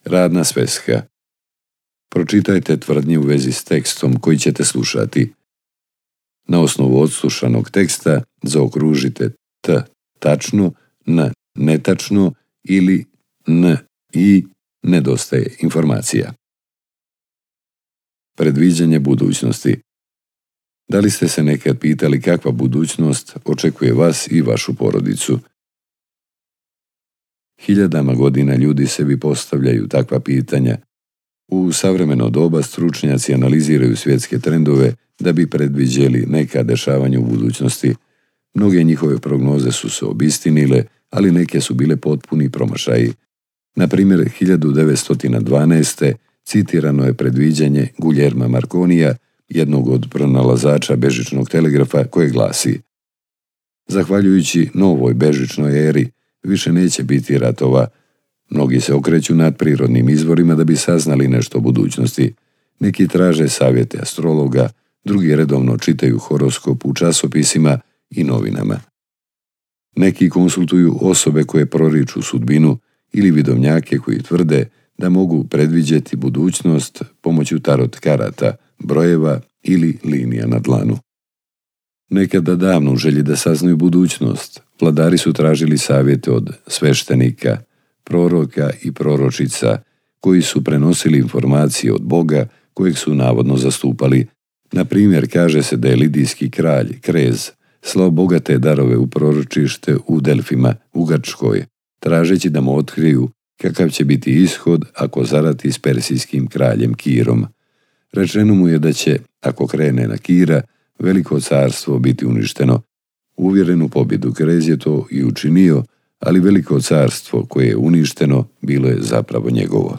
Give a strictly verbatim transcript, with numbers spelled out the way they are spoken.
Radna sveska. Pročitajte tvrdnje u vezi s tekstom koji ćete slušati. Na osnovu odslušanog teksta zaokružite t tačno, n netačno ili n i nedostaje informacija. Predviđanje budućnosti. Da li ste se nekad pitali kakva budućnost očekuje vas i vašu porodicu? Hiljadama godina ljudi sebi postavljaju takva pitanja. U savremeno doba stručnjaci analiziraju svjetske trendove da bi predviđeli neka dešavanja u budućnosti. Mnoge njihove prognoze su se obistinile, ali neke su bile potpuni promašaji. Na primjer, hiljadu devetsto dvanaeste. citirano je predviđanje Guillerma Marconija, jednog od pronalazača bežičnog telegrafa, koje glasi: zahvaljujući novoj bežičnoj eri, više neće biti ratova. Mnogi se okreću nad prirodnim izvorima da bi saznali nešto o budućnosti. Neki traže savjete astrologa, drugi redovno čitaju horoskop u časopisima i novinama. Neki konsultuju osobe koje proriču sudbinu ili vidovnjake koji tvrde da mogu predviđeti budućnost pomoću tarot karata, brojeva ili linija na dlanu. Nekada davno u želji da saznaju budućnost, vladari su tražili savjete od sveštenika, proroka i proročica koji su prenosili informacije od Boga kojeg su navodno zastupali. Na primjer, kaže se da je lidijski kralj, Krez, slao bogate darove u proročište u Delfima, u Grčkoj, tražeći da mu otkriju kakav će biti ishod ako zarati s persijskim kraljem Kirom. Rečeno mu je da će, ako krene na Kira, veliko carstvo biti uništeno. Uvjeren u pobjedu, Krez je to i učinio, ali veliko carstvo koje je uništeno bilo je zapravo njegovo.